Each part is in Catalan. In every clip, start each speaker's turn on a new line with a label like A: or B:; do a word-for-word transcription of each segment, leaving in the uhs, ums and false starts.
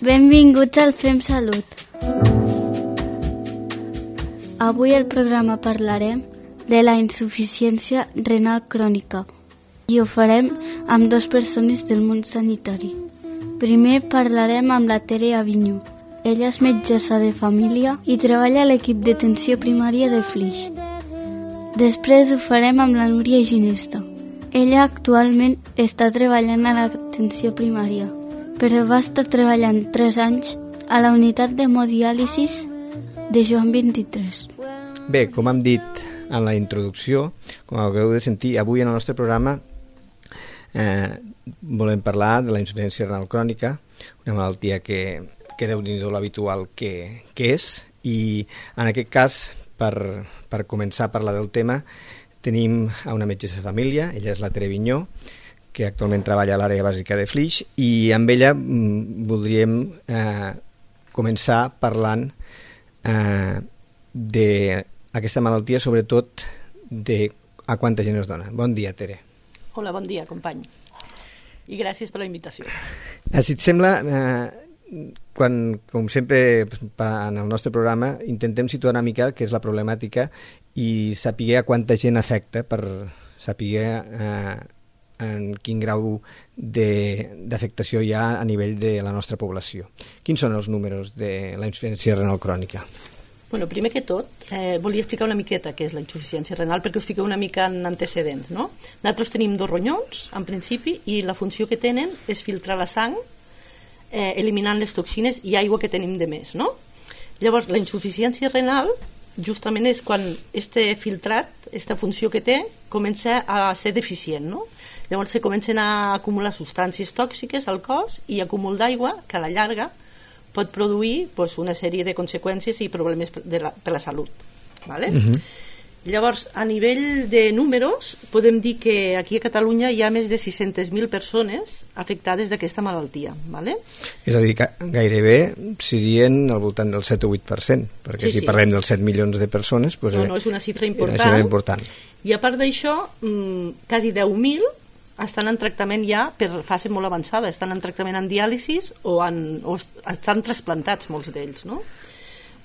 A: Benvinguts al Fem Salut. Avui al programa parlarem de la insuficiència renal crònica i ho farem amb dues persones del món sanitari. Primer parlarem amb la Tere Avinyó. Ella és metgessa de família i treballa a l'equip d'atenció primària de Flix. Després ho farem amb la Núria Ginesta. Ella actualment està treballant a l'atenció primària, però va estar treballant tres anys a la unitat d'hemodiàlisis de Joan vint-i-tres.
B: Bé, com hem dit en la introducció, com haureu de sentir, avui en el nostre programa eh, volem parlar de la insuficiència renal crònica, una malaltia que, que déu-n'hi-do l'habitual que, que és, i en aquest cas, per, per començar a parlar del tema, tenim a una metgessa de família, ella és la Tere Avinyó, que actualment treballa a l'àrea bàsica de Flix, i amb ella mm, voldríem eh, començar parlant eh, d'aquesta malaltia, sobretot de a quanta gent es dona. Bon dia, Tere.
C: Hola, bon dia, company. I gràcies per la invitació.
B: Eh, si et sembla, eh, quan, com sempre en el nostre programa, intentem situar una mica què és la problemàtica i saber a quanta gent afecta per saber eh, en quin grau d'afectació hi ha a nivell de la nostra població. Quins són els números de la insuficiència renal crònica?
C: Bueno, primer que tot, eh, volia explicar una miqueta què és la insuficiència renal perquè us fiqueu una mica en antecedents, no? Nosaltres tenim dos ronyons, en principi, i la funció que tenen és filtrar la sang, eh, eliminant les toxines i aigua que tenim de més, no? Llavors, la insuficiència renal justament és quan este filtrat, aquesta funció que té, comença a ser deficient, no? Llavors se comencen a acumular substàncies tòxiques al cos i acúmul d'aigua que a la llarga pot produir pues, una sèrie de conseqüències i problemes de la, per la salut. ¿Vale? Uh-huh. Llavors, a nivell de números, podem dir que aquí a Catalunya hi ha més de sis-centes mil persones afectades d'aquesta malaltia. ¿Vale?
B: És a dir, que gairebé serien al voltant del set o vuit per cent, perquè sí, si sí. parlem dels set milions de persones... Pues,
C: no, no, és una xifra important.
B: Una xifra important.
C: I a part d'això, mmm, quasi deu mil estan en tractament ja per fase molt avançada, estan en tractament en diàlisis o, en, o estan trasplantats molts d'ells, no?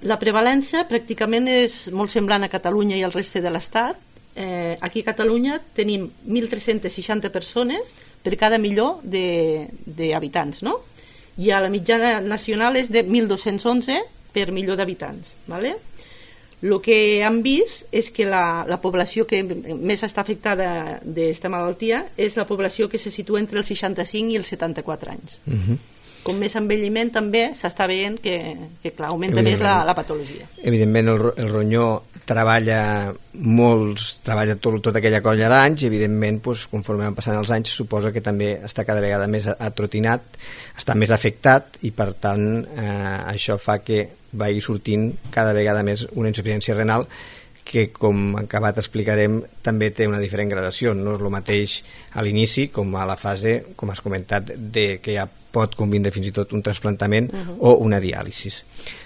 C: La prevalència pràcticament és molt semblant a Catalunya i al reste de l'Estat. Eh, aquí a Catalunya tenim mil tres-cents seixanta persones per cada milió d'habitants, no? I a la mitjana nacional és de mil dos-cents onze per milió d'habitants, ¿vale? El que hem vist és que la, la població que més està afectada d'aquesta malaltia és la població que se situa entre els seixanta-cinc i els setanta-quatre anys. Uh-huh. Com més envelliment també s'està veient que, que clar, augmenta més la, la patologia.
B: Evidentment el, el ronyó treballa molts, treballa tot, tota aquella colla d'anys i evidentment doncs, conforme van passant els anys suposa que també està cada vegada més atrotinat, està més afectat i per tant eh, això fa que vagi sortint cada vegada més una insuficiència renal que, com acabat explicarem, també té una diferent gradació. No és el mateix a l'inici com a la fase, com has comentat, de que ja pot convindre fins i tot un trasplantament uh-huh. o una diàlisis.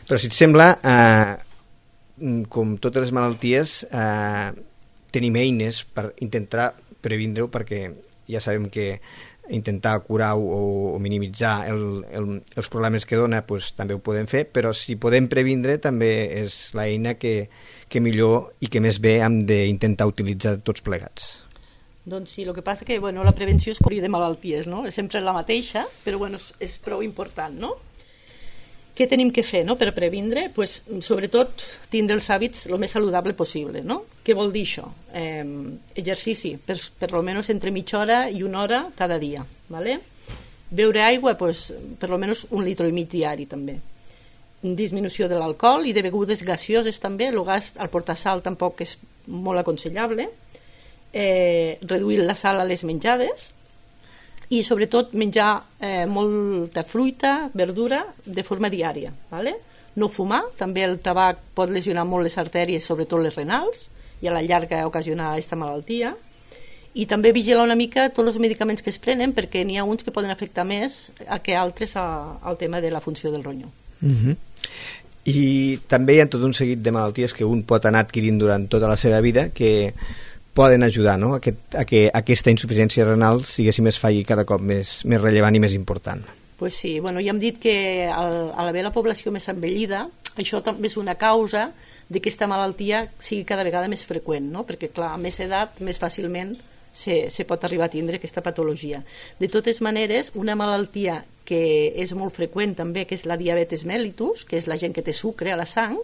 B: Però si et sembla, eh, com totes les malalties, eh, tenim eines per intentar previndre-ho, perquè ja sabem que intentar curar o, o minimitzar el, el, els problemes que dona pues, també ho podem fer, però si podem previndre també és l'eina que, que millor i que més bé hem d'intentar utilitzar tots plegats.
C: Doncs sí, el que passa que bueno, la prevenció és cobrir de malalties, no? És sempre la mateixa, però bueno, és, és prou important, no? Què tenim que fer no? per previndre? Pues, sobretot tindre els hàbits el més saludable possible, no? Què vol dir això? Eh, exercici, per, per almenys entre mitja hora i una hora cada dia, ¿vale? Beure aigua, pues, per almenys un litre i mig diari també. Disminució de l'alcohol i de begudes gaseoses també, el gas al portar sal tampoc és molt aconsellable. Eh, reduir la sal a les menjades i sobretot menjar eh, molta fruita, verdura de forma diària, ¿vale? No fumar, també el tabac pot lesionar molt les artèries, sobretot les renals, i a la llarga ocasionar aquesta malaltia, i també vigilar una mica tots els medicaments que es prenen perquè n'hi ha uns que poden afectar més que altres a, al tema de la funció del ronyó.
B: Uh-huh. I també hi ha tot un seguit de malalties que un pot anar adquirint durant tota la seva vida que poden ajudar, no? a, que, a que aquesta insuficiència renal sigui més falli cada cop més, més rellevant i més important.
C: Pues sí, bueno, ja hem dit que al, al haver la població més envellida, això també és una causa de que aquesta malaltia sigui cada vegada més freqüent, no? Perquè, clar, a més edat, més fàcilment se, se pot arribar a tindre aquesta patologia. De totes maneres, una malaltia que és molt freqüent també, que és la diabetes mellitus, que és la gent que té sucre a la sang,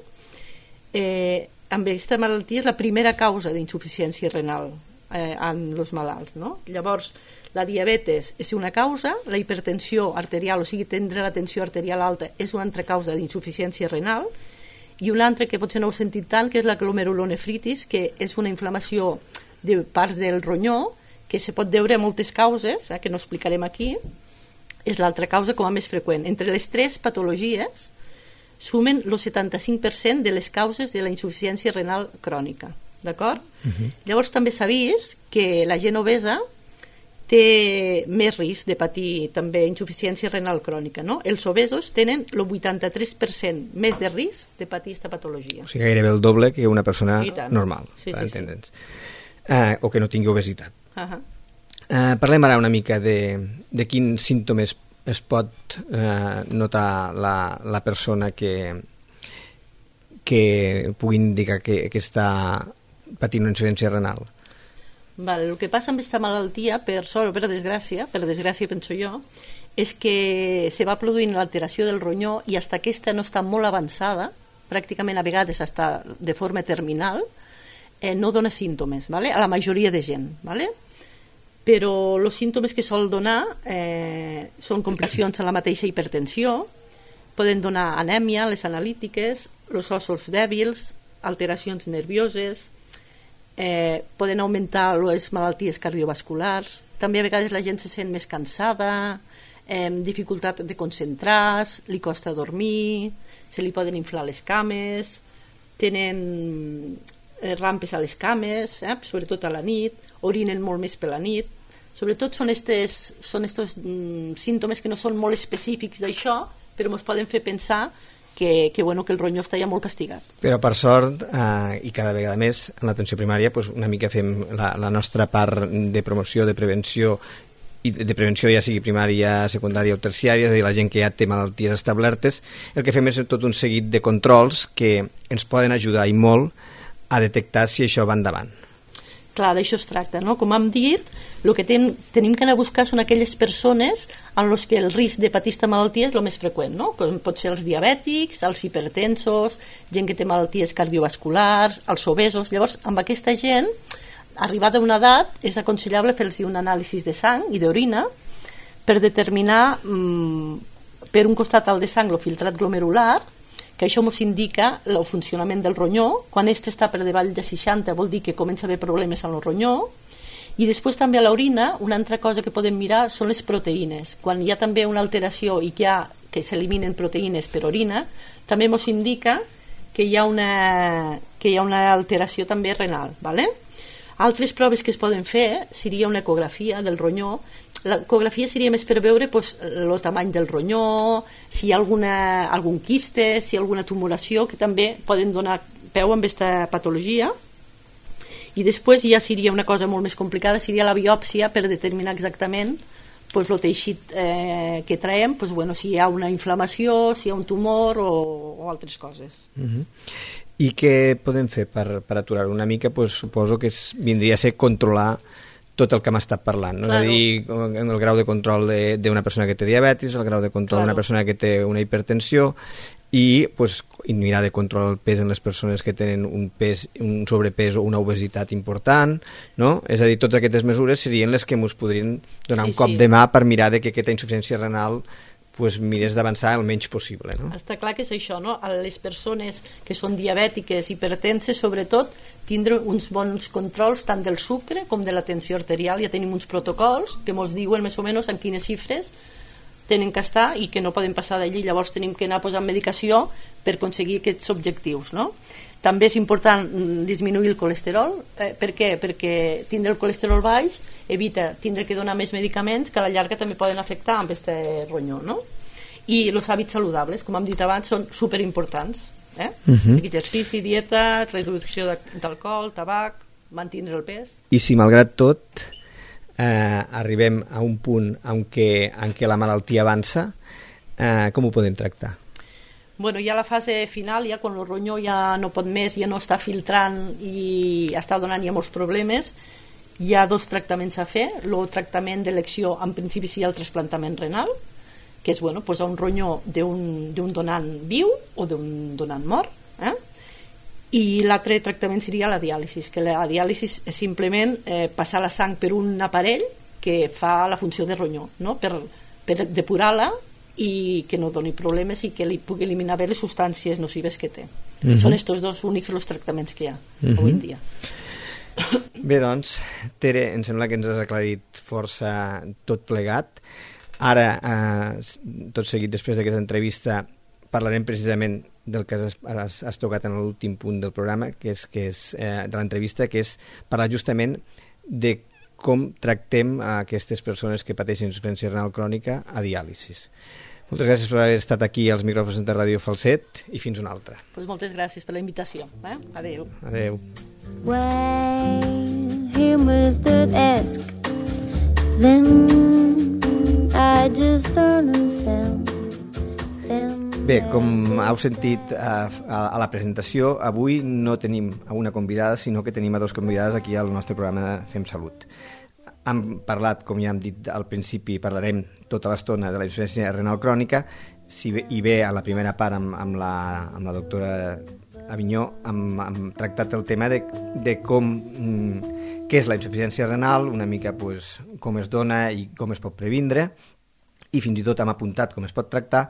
C: eh, amb aquesta malaltia és la primera causa d'insuficiència renal eh, en els malalts, no? Llavors, la diabetes és una causa, la hipertensió arterial, o sigui, tindre la tensió arterial alta, és una altra causa d'insuficiència renal, i una altra que potser no heu sentit tant, que és la glomerulonefritis, que és una inflamació de parts del ronyó, que se pot deure a moltes causes, eh, que no explicarem aquí, és l'altra causa com a més freqüent. Entre les tres patologies sumen el setanta-cinc per cent de les causes de la insuficiència renal crònica, d'acord? Uh-huh. Llavors també s'ha vist que la gent obesa té més risc de patir també insuficiència renal crònica, no? Els obesos tenen el vuitanta-tres per cent més de risc de patir aquesta patologia.
B: O sigui, gairebé el doble que una persona normal,
C: sí,
B: per
C: sí,
B: entendre'ns. Sí. Uh, o que no tingui obesitat.
C: Uh-huh.
B: Uh, parlem ara una mica de, de quins símptomes es pot uh, notar la, la persona que, que pugui indicar que, que està patint una insuficiència renal.
C: Vale, el que passa amb aquesta malaltia, per sort o per desgràcia, per desgràcia penso jo, és que se va produint l'alteració del ronyó i fins que aquesta no està molt avançada, pràcticament a vegades està de forma terminal, eh, no dona símptomes, vale? A la majoria de gent. Vale? Però els símptomes que sol donar eh, són complicacions en la mateixa hipertensió, poden donar anèmia, les analítiques, els ossos dèbils, alteracions nervioses, Eh, poden augmentar les malalties cardiovasculars, també a vegades la gent se sent més cansada, eh, dificultat de concentrar, li costa dormir, se li poden inflar les cames, tenen eh, rampes a les cames, eh, sobretot a la nit, orinen molt més per la nit. Sobretot són estos, són estos mm, símptomes que no són molt específics d'això, però ens poden fer pensar Que, que, bueno, que el ronyó està ja molt castigat.
B: Però per sort, eh, i cada vegada més en l'atenció primària, pues, una mica fem la, la nostra part de promoció, de prevenció, i de prevenció ja sigui primària, secundària o terciària, és a dir, la gent que ja té malalties establertes, el que fem és tot un seguit de controls que ens poden ajudar i molt a detectar si això va endavant.
C: Clar, d'això es tracta, no? Com hem dit, el que ten, tenim que anar a buscar són aquelles persones en les que el risc de patir aquesta malaltia és el més freqüent, no? Com pot ser els diabètics, els hipertensos, gent que té malalties cardiovasculars, els obesos. Llavors, amb aquesta gent, arribada a una edat, és aconsellable fer-los un anàlisi de sang i d'orina per determinar, mmm, per un costat el de sang, el filtrat glomerular, que això ens indica el funcionament del ronyó. Quan este està per davall de seixanta vol dir que comença a haver problemes en el ronyó, i després també a l'orina una altra cosa que podem mirar són les proteïnes. Quan hi ha també una alteració i que, hi ha, que s'eliminen proteïnes per orina, també ens indica que hi ha una, que hi ha una alteració també renal, ¿vale? Altres proves que es poden fer seria una ecografia del ronyó. L'ecografia seria més per veure pues, el tamany del ronyó, si hi ha alguna, algun quiste, si hi ha alguna tumoració, que també poden donar peu amb aquesta patologia. I després ja seria una cosa molt més complicada, seria la biòpsia per determinar exactament pues, el teixit eh, que traiem, pues, bueno, si hi ha una inflamació, si hi ha un tumor o, o altres coses.
B: Uh-huh. I què podem fer per, per aturar una mica? Pues, suposo que es, vindria a ser controlar tot el que hem estat parlant, no? Claro. És a dir, el grau de control d'una persona que té diabetis, el grau de control d'una claro. persona que té una hipertensió, i pues, mirar de controlar el pes en les persones que tenen un pes, un sobrepès o una obesitat important, no? És a dir, totes aquestes mesures serien les que ens podrien donar sí, un cop sí. de mà per mirar de que aquesta insuficiència renal pues, mires d'avançar el menys possible, no?
C: Està clar que és això, no? A les persones que són diabètiques, hipertenses, sobretot, tindre uns bons controls tant del sucre com de la tensió arterial. Ja tenim uns protocols que ens diuen més o menys en quines xifres tenen que estar i que no poden passar d'allí. Llavors tenim que anar posant medicació per aconseguir aquests objectius, no? També és important disminuir el colesterol. Eh, per què? Perquè tindre el colesterol baix evita tindre que donar més medicaments que a la llarga també poden afectar amb aquest ronyó, no? I els hàbits saludables, com hem dit abans, són superimportants. Eh? Uh-huh. Exercici, dieta, reducció d'alcohol, tabac, mantindre el pes.
B: I si malgrat tot eh, arribem a un punt en què, en què la malaltia avança, eh, com ho podem tractar?
C: Bueno, ja la fase final, ja quan el ronyó ja no pot més, ja no està filtrant i està donant ja molts problemes, hi ha dos tractaments a fer. El tractament d'elecció, en principi, seria el trasplantament renal, que és bueno, posar un ronyó d'un donant viu o d'un donant mort, eh? I l'altre tractament seria la diàlisi, que la diàlisi és simplement eh, passar la sang per un aparell que fa la funció de ronyó, no? per, per depurar-la i que no doni problemes i que li pugui eliminar bé les substàncies nocives que té. Uh-huh. Són estos dos únics els tractaments que hi ha uh-huh. avui en dia.
B: Bé, doncs, Tere, em sembla que ens has aclarit força tot plegat. Ara, eh, tot seguit, després d'aquesta entrevista, parlarem precisament del que has, has, has tocat en l'últim punt del programa, que és, que és eh, de l'entrevista, que és parlar justament de com tractem a aquestes persones que pateixen insuficiència renal crònica a diàlisis. Moltes gràcies per haver estat aquí als micròfons de Ràdio Falset i fins una altra.
C: Pues moltes gràcies per la invitació. Eh? Adéu.
B: Adéu.
D: When humans did ask, then I just don't understand.
B: Bé, com heu sentit a, a, a la presentació, avui no tenim a una convidada, sinó que tenim a dos convidades aquí al nostre programa Fem Salut. Hem parlat, com ja hem dit al principi, parlarem tota l'estona de la insuficiència renal crònica, si bé, i bé a la primera part amb, amb, la, amb la doctora Avinyó hem, hem tractat el tema de, de com, mm, què és la insuficiència renal, una mica pues, com es dona i com es pot previndre, i fins i tot hem apuntat com es pot tractar,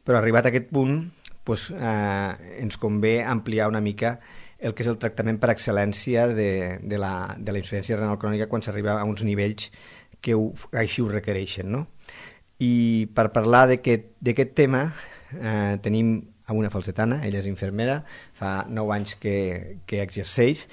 B: però arribat a aquest punt doncs, eh, ens convé ampliar una mica el que és el tractament per excel·lència de, de, la, de la insuficiència renal crònica quan s'arriba a uns nivells que ho, així ho requereixen, no? I per parlar d'aquest tema eh, tenim a una falsetana, ella és infermera, fa nou anys que, que exerceix,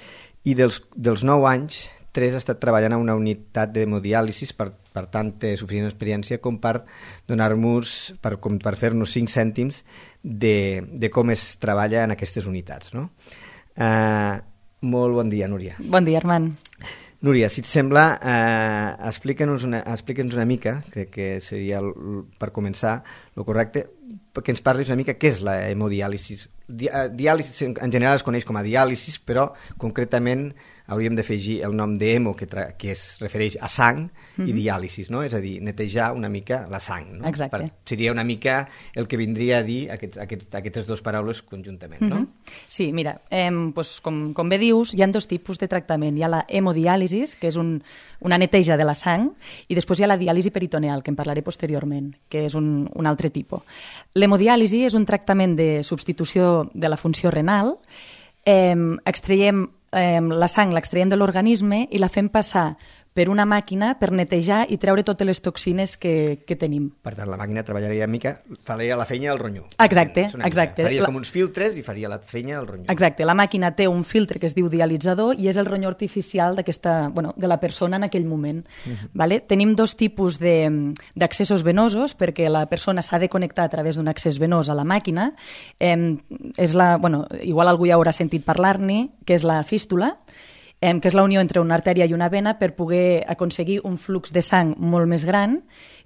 B: i dels, dels nou anys tres ha estat treballant a una unitat d'hemodiàlisis, per, per tant té suficient experiència com per donar-nos, per, com per fer-nos cinc cèntims de, de com es treballa en aquestes unitats, no? Uh, molt bon dia, Núria.
E: Bon dia, Armand.
B: Núria, si et sembla, eh, explica'ns una, explica'ns una mica, crec que seria el, per començar el correcte, que ens parlis una mica què és la hemodiàlisis. Di, diàlisis en general es coneix com a diàlisis, però concretament hauríem d'afegir el nom d'hemo, que, tra- que es refereix a sang, mm-hmm. i diàlisis, no? És a dir, netejar una mica la sang. No?
E: Exacte.
B: Per, seria una mica el que vindria a dir aquests, aquests, aquestes dues paraules conjuntament, no?
E: Mm-hmm. Sí, mira, eh, doncs, com, com bé dius, hi ha dos tipus de tractament. Hi ha la hemodiàlisis, que és un, una neteja de la sang, i després hi ha la diàlisi peritoneal, que en parlaré posteriorment, que és un, un altre tipus. L'hemodiàlisi és un tractament de substitució de la funció renal. Eh, extraiem eh, la sang, l'extraiem de l'organisme i la fem passar per una màquina per netejar i treure totes les toxines que, que tenim.
B: Per tant, la màquina treballaria una mica, faria la feina del ronyó.
E: Exacte, exacte.
B: Faria
E: la...
B: com uns filtres i faria la feina del ronyó.
E: Exacte, la màquina té un filtre que es diu dialitzador i és el ronyó artificial d'aquesta, bueno, de la persona en aquell moment. Uh-huh. Vale? Tenim dos tipus d'accessos venosos, perquè la persona s'ha de connectar a través d'un accés venós a la màquina. Eh, és la, bueno, igual algú ja haurà sentit parlar-ne, que és la fístula, Eh, que és la unió entre una artèria i una vena per poder aconseguir un flux de sang molt més gran,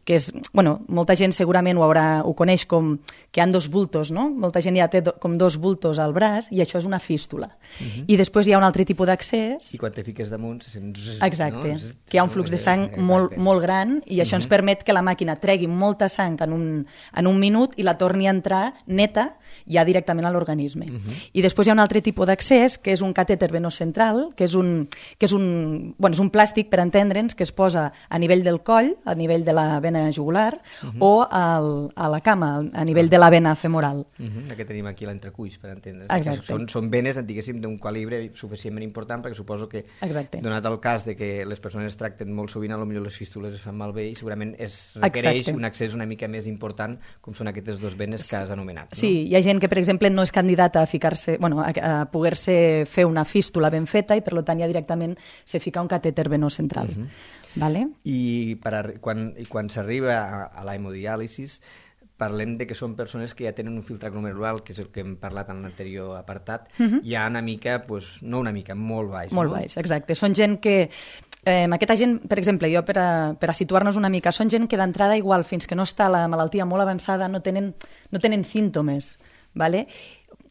E: que és, bueno, molta gent segurament ho, haurà, ho coneix com que hi ha dos bultos, no? Molta gent ja té do, com dos bultos al braç i això és una fístula. Uh-huh. I després hi ha un altre tipus d'accés.
B: I quan te fiques damunt se sent...
E: Exacte,
B: no?
E: que hi ha un flux de sang molt, molt gran i això uh-huh. ens permet que la màquina tregui molta sang en un, en un minut i la torni a entrar neta ja directament a l'organisme. Uh-huh. I després hi ha un altre tipus d'accés, que és un catèter venós central, que és un, que és un, bueno, és un plàstic, per entendre'ns, que es posa a nivell del coll, a nivell de la vena jugular, uh-huh. o al, a la cama, a nivell de la vena femoral.
B: Uh-huh. La que tenim aquí a l'entrecuix, per entendre.
E: Exacte.
B: Són, són venes, diguéssim, d'un calibre suficientment important, perquè suposo que,
E: Exacte.
B: donat el cas de que les persones es tracten molt sovint, potser les fístules es fan malbé i segurament es requereix Exacte. un accés una mica més important, com són aquestes dues venes que has anomenat. No?
E: Sí, hi ha gent que, per exemple, no és candidata a ficar-se, bueno, a, a poder-se fer una fístula ben feta i, per tant, ja directament se fica un catèter venós central. Uh-huh. Vale?
B: I, per a, quan, i quan s'arriba a, a la hemodiàlisis, parlem de que són persones que ja tenen un filtre glomerular, que és el que hem parlat en l'anterior apartat, uh-huh. ja una mica, pues, no una mica, molt baix.
E: Molt
B: no?
E: baix, exacte. Són gent que Eh, aquesta gent, per exemple, jo per a, per a situar-nos una mica, són gent que d'entrada igual, fins que no està la malaltia molt avançada, no tenen, no tenen símptomes, ¿vale?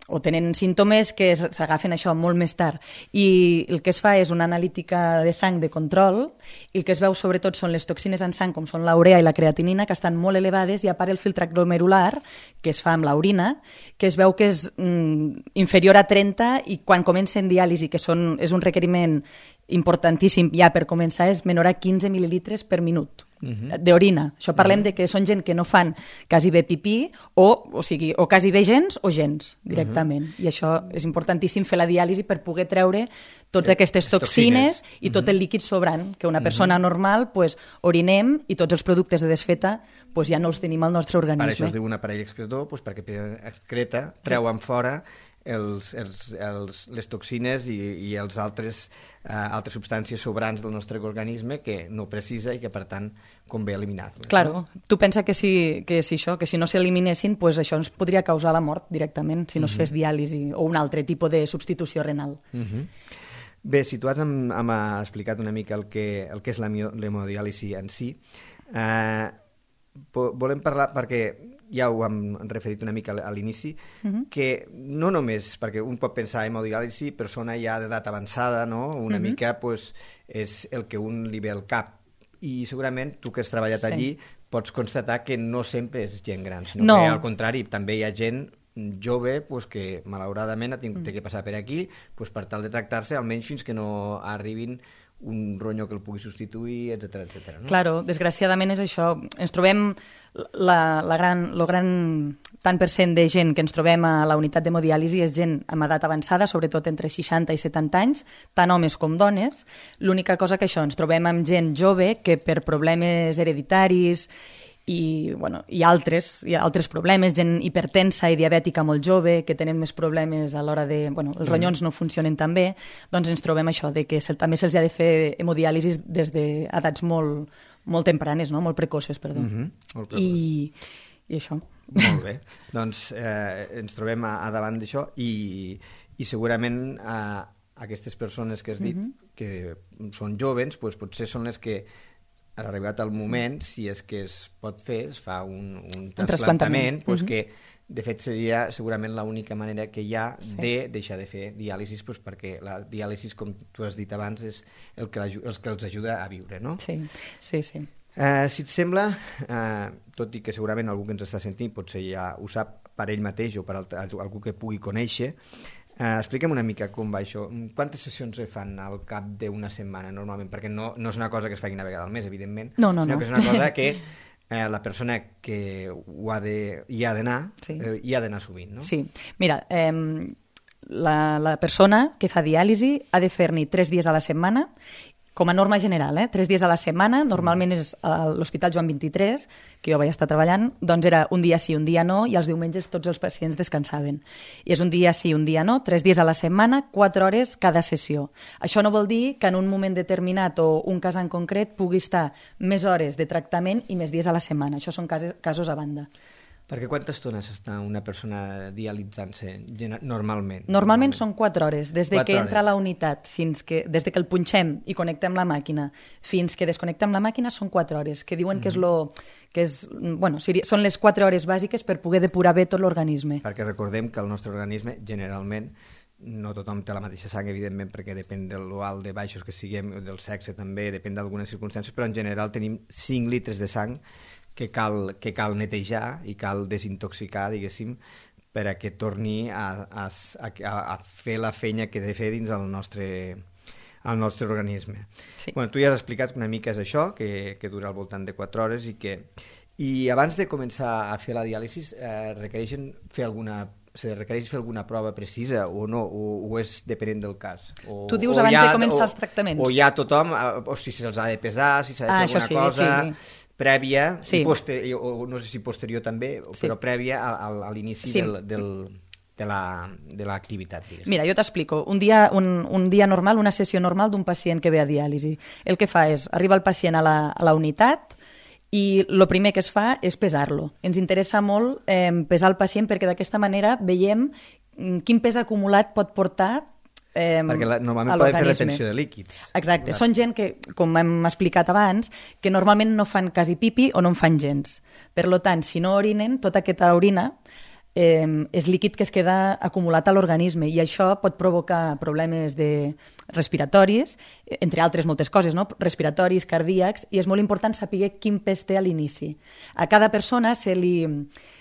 E: O tenen símptomes que s'agafen això molt més tard. I el que es fa és una analítica de sang de control i el que es veu sobretot són les toxines en sang, com són l'urea i la creatinina, que estan molt elevades, i a part el filtre glomerular, que es fa amb l'orina, que es veu que és mm, inferior a trenta, i quan comencen diàlisi, que són, és un requeriment importantíssim ja per començar, és menor a quinze mil·lilitres per minut uh-huh. d'orina. Això parlem uh-huh. de que són gent que no fan quasi bé pipí o, o sigui, o quasi bé gens o gens directament. Uh-huh. I això és importantíssim fer la diàlisi per poder treure totes aquestes toxines, toxines. i tot uh-huh. el líquid sobrant, que una persona uh-huh. normal pues, orinem i tots els productes de desfeta pues, ja no els tenim al nostre organisme.
B: Per això es diu un aparell excretor, pues, perquè excreta, treuen sí. fora els, els, els, les toxines i, i els altres, uh, altres substàncies sobrants del nostre organisme que no precisa i que, per tant, convé eliminar.
E: Claro, no? Tu pensa que si, que si això, que si no s'eliminessin, pues això ens podria causar la mort directament, si no uh-huh. es fes diàlisi o un altre tipus de substitució renal.
B: Uh-huh. Bé, situats hem, hem explicat una mica el que, el que és l'hemodiàlisi en si. Eh, volem parlar, perquè ja ho hem referit una mica a l'inici, uh-huh. que no només, perquè un pot pensar en hemodiàlisi, persona ja d'edat avançada, no? Una uh-huh. mica pues, és el que un li ve al cap. I segurament tu que has treballat sí. allí pots constatar que no sempre és gent gran, sinó no. que al contrari, també hi ha gent jove pues, que malauradament ha tingut mm. que passar per aquí pues, per tal de tractar-se, almenys fins que no arribin un ronyó que el pugui substituir, etcètera, etcètera. No?
E: Claro, desgraciadament és això. Ens trobem la, la gran, lo gran tant per cent de gent que ens trobem a la unitat d'hemodiàlisi és gent amb edat avançada, sobretot entre seixanta i setanta anys, tant homes com dones. L'única cosa que això, ens trobem amb gent jove que per problemes hereditaris i, bueno, i altres, i altres problemes, gent hipertensa i diabètica molt jove, que tenen més problemes a l'hora de... Bueno, els ronyons no funcionen tan bé, doncs ens trobem això, de que se, també se'ls ha de fer hemodiàlisis des d'edats molt, molt tempranes, no? Molt precoces, perdó.
B: Mm-hmm. Molt
E: I, I això.
B: Molt bé. Doncs eh, ens trobem a, a davant d'això i, i segurament eh, aquestes persones que has dit mm-hmm. que són jovens, doncs potser són les que ha arribat el moment, si és que es pot fer, es fa un, un trasplantament, pues mm-hmm. que de fet seria segurament l'única manera que hi ha sí. de deixar de fer diàlisis, pues perquè la diàlisis, com tu has dit abans, és el que, els que els ajuda a viure, no?
E: Sí, sí, sí.
B: Uh, si et sembla, uh, tot i que segurament algú que ens està sentint potser ja ho sap per ell mateix o per algú que pugui conèixer, Uh, explica'm una mica com va això. Quantes sessions es fan al cap d'una setmana normalment? Perquè no, no és una cosa que es faci una vegada al mes, evidentment,
E: no, no,
B: sinó
E: no.
B: que és una cosa que eh, la persona que ho ha de, hi ha d'anar sí. eh, hi ha d'anar sovint, no?
E: Sí. Mira, eh, la, la persona que fa diàlisi ha de fer-n'hi tres dies a la setmana, com a norma general, eh? tres dies a la setmana, normalment és a l'Hospital Joan vint-i-tres, que jo vaig estar treballant, doncs era un dia sí, un dia no, i els diumenges tots els pacients descansaven. I és un dia sí, un dia no, tres dies a la setmana, quatre hores cada sessió. Això no vol dir que en un moment determinat o un cas en concret pugui estar més hores de tractament i més dies a la setmana. Això són casos, casos a banda.
B: Perquè quantes estones està una persona dialitzant-se normalment?
E: Normalment són quatre hores, des de que
B: hores.
E: entra a la unitat, fins que, des de que el punxem i connectem la màquina, fins que desconnectem la màquina són quatre hores, que diuen mm. que és lo... que és, bueno, són les quatre hores bàsiques per poder depurar bé tot l'organisme.
B: Perquè recordem que el nostre organisme, generalment, no tothom té la mateixa sang, evidentment, perquè depèn de l'alt de baixos que siguem, del sexe també, depèn d'algunes circumstàncies, però en general tenim cinc litres de sang que cal, que cal netejar i cal desintoxicar, diguéssim, per a que torni a, a, a, a fer la feina que ha de fer dins el nostre, el nostre organisme.
E: Sí.
B: Bueno, tu ja has explicat una mica és això, que, que dura al voltant de quatre hores i que... I abans de començar a fer la diàlisi, eh, requereixen fer alguna se requereix fer alguna prova precisa o no, o, o és depenent del cas? O,
E: tu dius
B: o
E: abans
B: ha,
E: de començar
B: o,
E: els tractaments?
B: O hi ha tothom, o si se'ls ha de pesar, si s'ha de
E: ah,
B: fer alguna
E: sí,
B: cosa...
E: Sí.
B: prèvia,
E: sí.
B: i poster, o no sé si posterior també, sí. però prèvia a, a, a l'inici sí. del, del, de l'activitat.
E: Mira, jo t'explico. Un dia, un, un dia normal, una sessió normal d'un pacient que ve a diàlisi. El que fa és, arriba el pacient a la, a la unitat i el primer que es fa és pesar-lo. Ens interessa molt eh, pesar el pacient perquè d'aquesta manera veiem quin pes acumulat pot portar Eh,
B: perquè la, normalment
E: a
B: poden fer
E: l'organisme.
B: retenció de líquids.
E: Exacte,
B: Clar.
E: són gent que, com hem explicat abans, que normalment no fan quasi pipi o no en fan gens. Per tant, si no orinen, tota aquesta orina eh, és líquid que es queda acumulat a l'organisme i això pot provocar problemes de respiratoris, entre altres moltes coses, no? Respiratoris, cardíacs, i és molt important saber quin pes té a l'inici. A cada persona se li,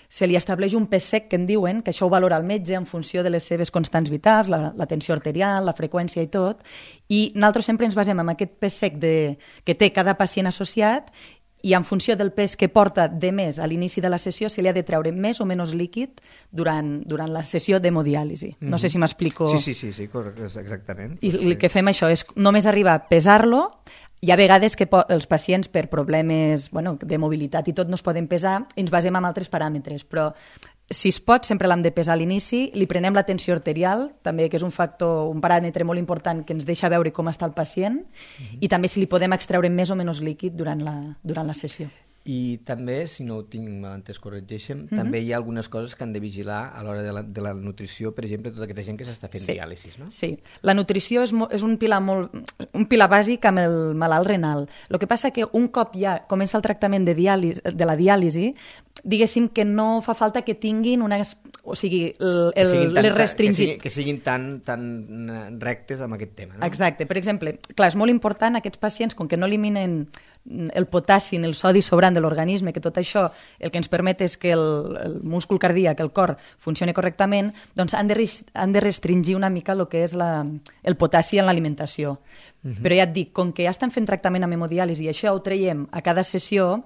E: se li estableix un pes sec, que en diuen, que això ho valora el metge en funció de les seves constants vitals, la, la tensió arterial, la freqüència i tot, i nosaltres sempre ens basem en aquest pes sec de, que té cada pacient associat i en funció del pes que porta de més a l'inici de la sessió se li ha de treure més o menys líquid durant, durant la sessió d'hemodiàlisi. No sé si m'explico.
B: Sí, sí, sí, sí, exactament.
E: I el que fem això és només arribar a pesar-lo. Hi ha vegades que els pacients per problemes bueno, de mobilitat i tot no es poden pesar i ens basem en altres paràmetres, però si es pot, sempre l'hem de pesar a l'inici, li prenem la tensió arterial, també que és un factor, un paràmetre molt important que ens deixa veure com està el pacient, uh-huh. i també si li podem extreure més o menys líquid durant la, durant la sessió.
B: I també, si no ho tinc mal entès, corregeixen,
E: Mm-hmm.
B: també hi ha algunes coses que han de vigilar a l'hora de, la, de la nutrició, per exemple, tota aquesta gent que s'està fent
E: Sí.
B: diàlisis, no?
E: Sí, la nutrició és, mo- és un, pilar molt, un pilar bàsic amb el malalt renal. El que passa que un cop ja comença el tractament de, diàlisi, de la diàlisi, diguéssim que no fa falta que tinguin unes, o sigui, el,
B: Que
E: el,
B: siguin tan-
E: les restringit.
B: Que siguin, que siguin tan, tan rectes amb aquest tema, no?
E: Exacte. Per exemple, clar, és molt important aquests pacients, com que no eliminen el potassi ni el sodi sobrant de l'organisme, que tot això el que ens permet és que el, el múscul cardíac, el cor, funcioni correctament, doncs han de, res- han de restringir una mica el que és la, el potassi en l'alimentació. Uh-huh. Però ja et dic, com que ja estan fent tractament amb hemodiàlisi i això ho traiem a cada sessió,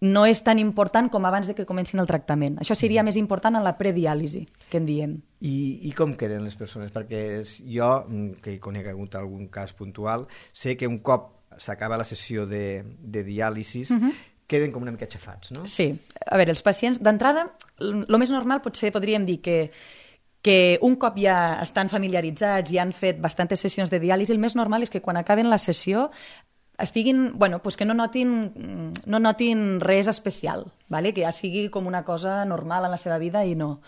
E: no és tan important com abans de que comencin el tractament. Això seria més important en la prediàlisi, que en diem.
B: I, I com queden les persones? Perquè jo, que hi conec hagut algun cas puntual, sé que un cop s'acaba la sessió de, de diàlisis, uh-huh. queden com una mica aixafats, no?
E: Sí. A veure, els pacients, d'entrada, el més normal potser podríem dir que que un cop ja estan familiaritzats i han fet bastantes sessions de diàlisi, el més normal és que quan acaben la sessió estiguin, bueno, pues que no notin, no notin res especial, ¿vale? Que ja sigui com una cosa normal en la seva vida i no,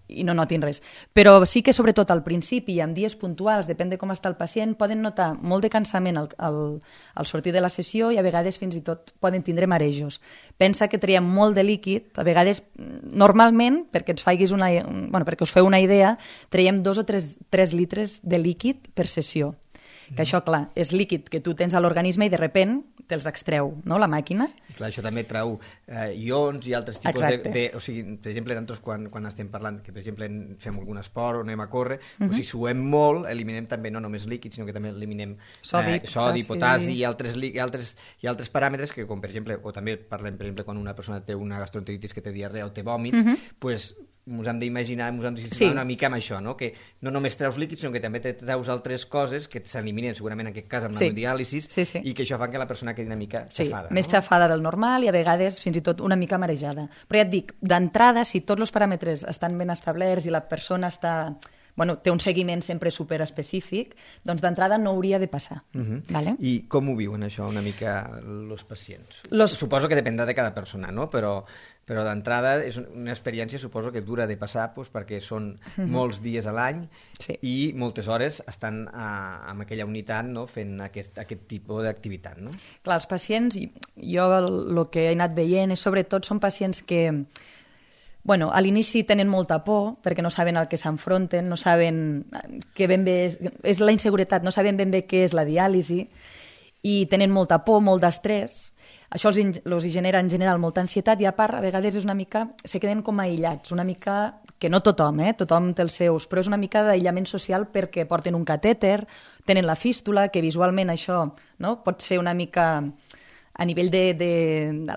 E: i no notin res. Però sí que sobretot al principi i en dies puntuals, depèn de com està el pacient, poden notar molt de cansament al, al, al sortir de la sessió i a vegades fins i tot poden tindre marejos. Pensa que traiem molt de líquid, a vegades normalment, perquè ens faiguis una, bueno, perquè us feu una idea, traiem dos o tres, tres litres de líquid per sessió. Que això, clar, és líquid que tu tens a l'organisme i de repent te'ls extreu, no?, la màquina.
B: I clar, això també trau eh, ions i altres tipus de,
E: Exacte.
B: de... O sigui, per exemple, nosaltres quan, quan estem parlant, que per exemple fem algun esport o anem a córrer, uh-huh. doncs si suem molt, eliminem també no només líquid, sinó que també eliminem
E: Sodi,
B: eh, sodi
E: potassi.
B: potassi i altres, i, altres, i altres paràmetres que, com per exemple, o també parlem, per exemple, quan una persona té una gastroenteritis que té diarrea o té vòmits, uh-huh. doncs ens hem d'imaginar, ens hem de
E: Sí.
B: una mica amb això, no? Que no només treus líquids, sinó que també te treus altres coses que s'eliminen segurament en aquest cas amb
E: Sí.
B: la diàlisis
E: Sí, sí.
B: i que això fa que la persona quedi una mica
E: Sí,
B: xafada.
E: més
B: no?
E: xafada del normal i a vegades fins i tot una mica marejada. Però ja et dic, d'entrada, si tots els paràmetres estan ben establerts i la persona està, bueno, té un seguiment sempre superespecífic, doncs d'entrada no hauria de passar.
B: Uh-huh.
E: Vale?
B: I com ho viuen això una mica els pacients?
E: Los-
B: Suposo que dependrà de cada persona, no? Però, però d'entrada és una experiència, suposo que dura de passar, doncs, perquè són uh-huh. molts dies a l'any
E: Sí.
B: i moltes hores estan a, amb aquella unitat, no? Fent aquest, aquest tipus d'activitat, no?
E: Clar, els pacients, jo el, el que he anat veient és sobretot són pacients que bueno, a l'inici tenen molta por perquè no saben al que s'enfronten, no saben que ben bé és, és la inseguretat, no saben ben bé què és la diàlisi i tenen molta por, molt d'estrès. Això els, in- els hi genera en general molta ansietat i a part a vegades és una mica, se queden com aïllats, una mica, que no tothom, eh? Tothom té els seus, però és una mica d'aïllament social perquè porten un catèter, tenen la fístula, que visualment això, no? Pot ser una mica a nivell de, de,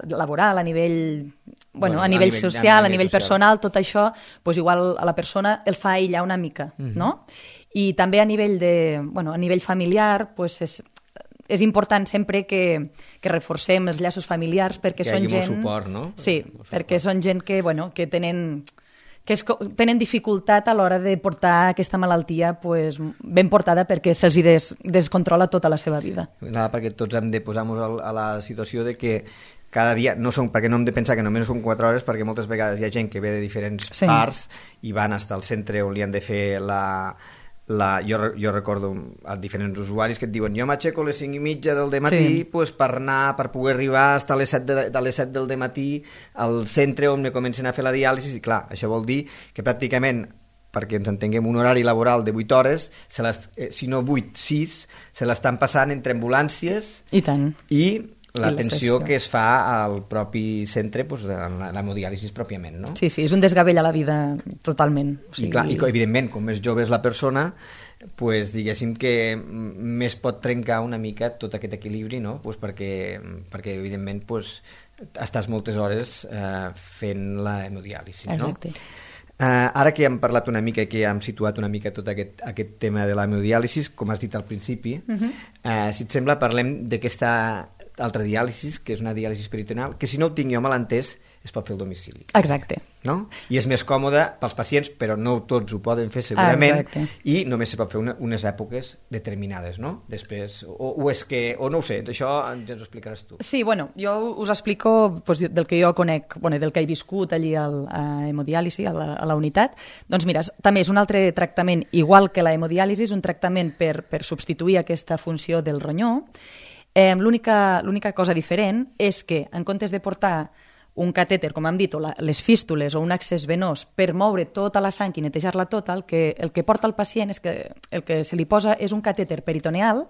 E: de laboral, a nivell, bueno,
B: Bueno,
E: a nivell
B: a nivell-
E: social,
B: a
E: a
B: nivell
E: nivell
B: social.
E: personal, tot això, doncs igual a la persona el fa aïllar una mica, no? I també a nivell de, bueno, a nivell familiar, doncs és, és important sempre que, que reforcem els llaços familiars perquè
B: Que hi
E: són
B: hagi molt
E: gent...
B: suport, no?
E: Sí,
B: Molt suport.
E: perquè són gent que, bueno, que tenen que es, tenen dificultat a l'hora de portar aquesta malaltia pues, ben portada perquè se'ls hi des, descontrola tota la seva vida.
B: Nada, perquè tots hem de posar-nos a la situació de que cada dia, no són, perquè no hem de pensar que només són quatre hores, perquè moltes vegades hi ha gent que ve de diferents
E: Sí.
B: parts i van fins al centre on li han de fer la, La, jo, jo recordo a diferents usuaris que et diuen jo m'aixeco a les cinc i mitja del dematí sí. pues, per anar, per poder arribar fins a les set, de, de les set del dematí al centre on me comencen a fer la diàlisi i clar, això vol dir que pràcticament perquè ens entenguem un horari laboral de vuit hores, se les, eh, si no vuit, sis, se l'estan passant entre ambulàncies
E: i tant
B: i l'atenció que es fa al propi centre, pues, la, la hemodiàlisi pròpiament, no?
E: Sí, sí, és un desgavell a la vida totalment. O sigui...
B: I, clar, i evidentment, com més jove és la persona, pues, diguéssim que més pot trencar una mica tot aquest equilibri, no? Pues perquè, perquè evidentment pues, estàs moltes hores eh, fent la hemodiàlisi, no?
E: Exacte.
B: Uh, ara que hem parlat una mica, que hem situat una mica tot aquest, aquest tema de la hemodiàlisi, com has dit al principi, uh-huh. uh, si et sembla parlem d'aquesta altra diàlisi, que és una diàlisi peritoneal, que si no ho tinc jo mal entès, es pot fer al domicili.
E: Exacte.
B: No? I és més còmode pels pacients, però no tots ho poden fer segurament,
E: ah,
B: i només se pot fer una, unes èpoques determinades, no? Després, o, o és que, o no ho sé, això ens ho explicaràs tu.
E: Sí, bueno, jo us explico pues, del que jo conec, bueno, del que he viscut allí al, a hemodiàlisi, a la, a la unitat. Doncs mira, també és un altre tractament, igual que la hemodiàlisi, és un tractament per, per substituir aquesta funció del ronyó. Eh, l'única, l'única cosa diferent és que, en comptes de portar un catèter, com hem dit, o la, les fístules o un accés venós per moure tota la sang i netejar-la tota, el que, el que porta el pacient és que el que se li posa és un catèter peritoneal,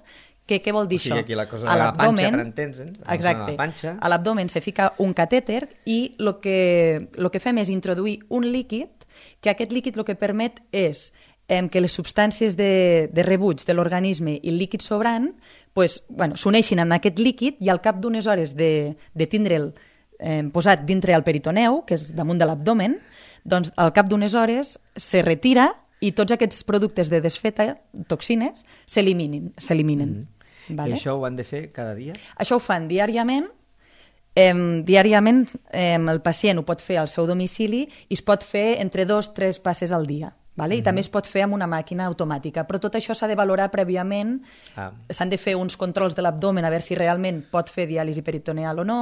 E: que què vol dir
B: o sigui,
E: això?
B: Aquí la cosa de la panxa, per entens, eh?
E: Exacte.
B: La panxa.
E: A l'abdomen se fica un catèter i el que, lo que fem és introduir un líquid, que aquest líquid el que permet és eh, que les substàncies de, de rebuig de l'organisme i el líquid sobrant pues, bueno, s'uneixin en aquest líquid i al cap d'unes hores de, de tindre'l eh, posat dintre el peritoneu, que és damunt de l'abdomen, doncs al cap d'unes hores se retira i tots aquests productes de desfeta, toxines, s'eliminen. s'eliminen. Mm-hmm. Vale?
B: I això ho han de fer cada dia?
E: Això ho fan diàriament. Eh, diàriament eh, el pacient ho pot fer al seu domicili i es pot fer entre dos o tres passes al dia. Vale? I mm-hmm. també es pot fer amb una màquina automàtica, però tot això s'ha de valorar prèviament, ah. s'han de fer uns controls de l'abdomen a veure si realment pot fer diàlisi peritoneal o no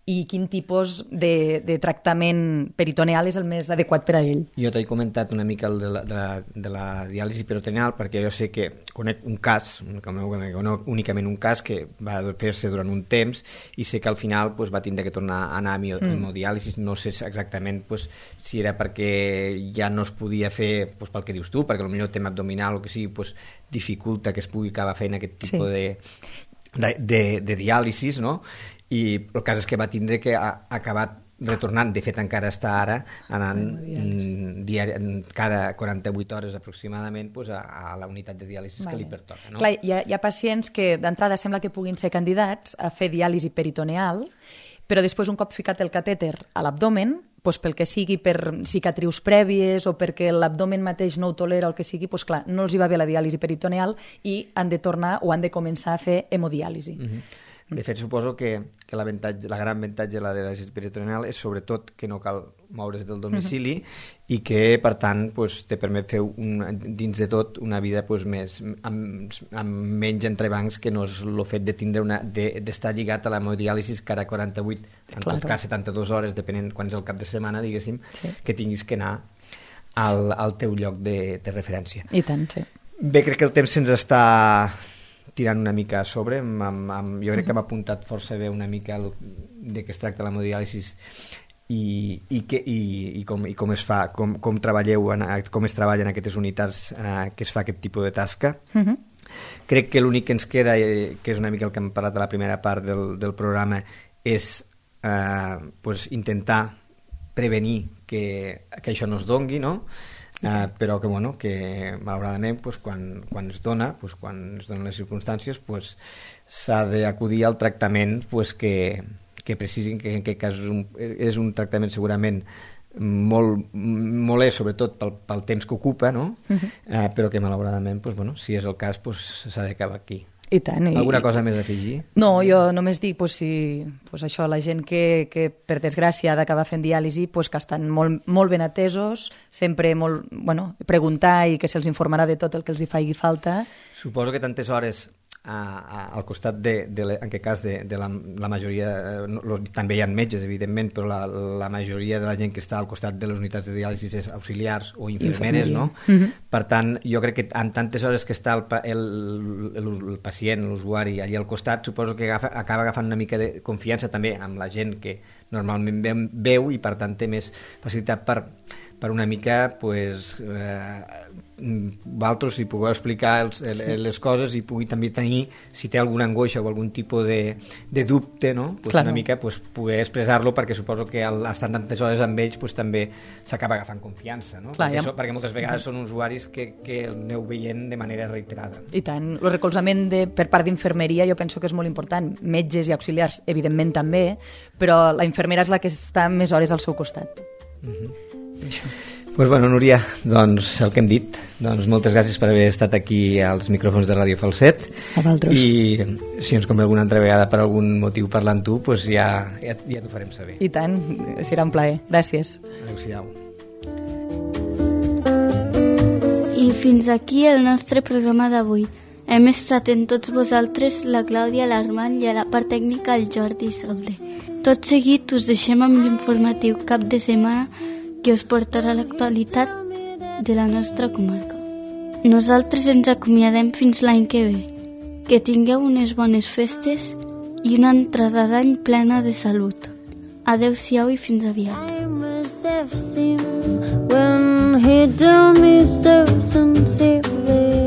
E: i quin tipus de, de tractament peritoneal és el més adequat per a ell.
B: Jo t'he comentat una mica el de, la, de, la, de la diàlisi peritoneal perquè jo sé que conec un cas, no únicament un cas que va fer-se durant un temps i sé que al final pues, va tindre que tornar a anar a hemodiàlisi, mm. no sé exactament pues, si era perquè ja no es podia fer pues, pel que dius tu, perquè potser el tema abdominal o que sigui pues, dificulta que es pugui acabar fent aquest tipus sí. de, de, de, de diàlisis, no? I el cas és que va tindre que ha acabat retornant, de fet encara està ara anant diari, cada quaranta-vuit hores aproximadament pues, a, a la unitat de diàlisis vale. Que li pertoca. No?
E: Clar, hi ha, hi ha pacients que d'entrada sembla que puguin ser candidats a fer diàlisi peritoneal, però després un cop ficat el catèter a l'abdomen, doncs pel que sigui, per cicatrius prèvies o perquè l'abdomen mateix no ho tolera o el que sigui, doncs clar, no els hi va bé la diàlisi peritoneal i han de tornar o han de començar a fer hemodiàlisi. Mm-hmm.
B: De fet, suposo que, que la, la gran avantatge de la diàlisi peritoneal és sobretot que no cal moure's del domicili uh-huh. i que, per tant, pues, te permet fer un, dins de tot una vida pues, més, amb, amb menys entrebancs que no és el fet de tindre una, de, d'estar lligat a la hemodiàlisi cada quaranta-vuit, en claro. tot cas setanta-dues hores, depenent quan és el cap de setmana, diguéssim, sí. que tinguis que anar al, al teu lloc de, de referència.
E: I tant, sí.
B: Bé, crec que el temps se'ns està tirant una mica a sobre, amb, amb, amb, jo crec que m'ha apuntat força bé una mica el, de què es tracta l'hemodiàlisi i, i, que, i, i, com, i com es fa, com, com treballeu, en, com es treballa en aquestes unitats eh, que es fa aquest tipus de tasca. Uh-huh. Crec que l'únic que ens queda, eh, que és una mica el que hem parlat a la primera part del, del programa, és eh, pues, intentar prevenir que, que això no es dongui, no? Uh, però que, bueno, que malauradament pues, quan, quan es dona, pues, quan es donen les circumstàncies, pues, s'ha d'acudir al tractament pues, que, que precisin que en aquest cas és un, és un tractament segurament molt molest, sobretot pel, pel temps que ocupa, no? Uh-huh. uh, però que malauradament, pues, bueno, si és el cas, pues, s'ha d'acabar aquí.
E: I tant. I...
B: Alguna cosa més a afegir?
E: No, jo només dic pues, si, pues, això, la gent que, que per desgràcia ha d'acabar fent diàlisi pues, que estan molt, molt ben atesos, sempre molt, bueno, preguntar i que se'ls informarà de tot el que els hi faci falta.
B: Suposo que tantes hores a, a, al costat de, de, en aquest cas de, de la, la majoria, no, també hi ha metges evidentment, però la, la majoria de la gent que està al costat de les unitats de diàlisi és auxiliars o infermeres, no? Mm-hmm. Per tant, jo crec que en tantes hores que està el, el, el, el pacient, l'usuari allà al costat, suposo que agafa, acaba agafant una mica de confiança també amb la gent que normalment veu i per tant té més facilitat per per una mica, pues, eh, vosaltres si pugueu explicar els, sí. les coses i pugui també tenir, si té alguna angoixa o algun tipus de, de dubte, no? Pues una mica pues, poder expressar-lo, perquè suposo que al estar tantes hores amb ells pues, també s'acaba agafant confiança, no? Clar, perquè, ja... això, perquè moltes vegades són usuaris que, que el aneu veient de manera reiterada.
E: I tant. El recolzament de, per part d'infermeria jo penso que és molt important. Metges i auxiliars, evidentment també, però la infermera és la que està més hores al seu costat.
B: Mhm. Pues bueno, Núria, doncs el que hem dit, doncs moltes gràcies per haver estat aquí als micròfons de Ràdio Falset.
E: A vosaltres.
B: I si ens convé alguna altra vegada per algun motiu parlant tu, pues ja, ja, ja t'ho farem saber.
E: I tant, serà un plaer. Gràcies.
B: Adéu-siau.
A: I fins aquí el nostre programa d'avui. Hem estat en tots vosaltres la Clàudia, l'Armand i a la part tècnica el Jordi Solde. Tot seguit us deixem amb l'informatiu cap de setmana que us portarà l'actualitat de la nostra comarca. Nosaltres ens acomiadem fins l'any que ve. Que tingueu unes bones festes i una entrada d'any plena de salut. Adéu-siau i fins aviat. I must have seen when he told me so sincerely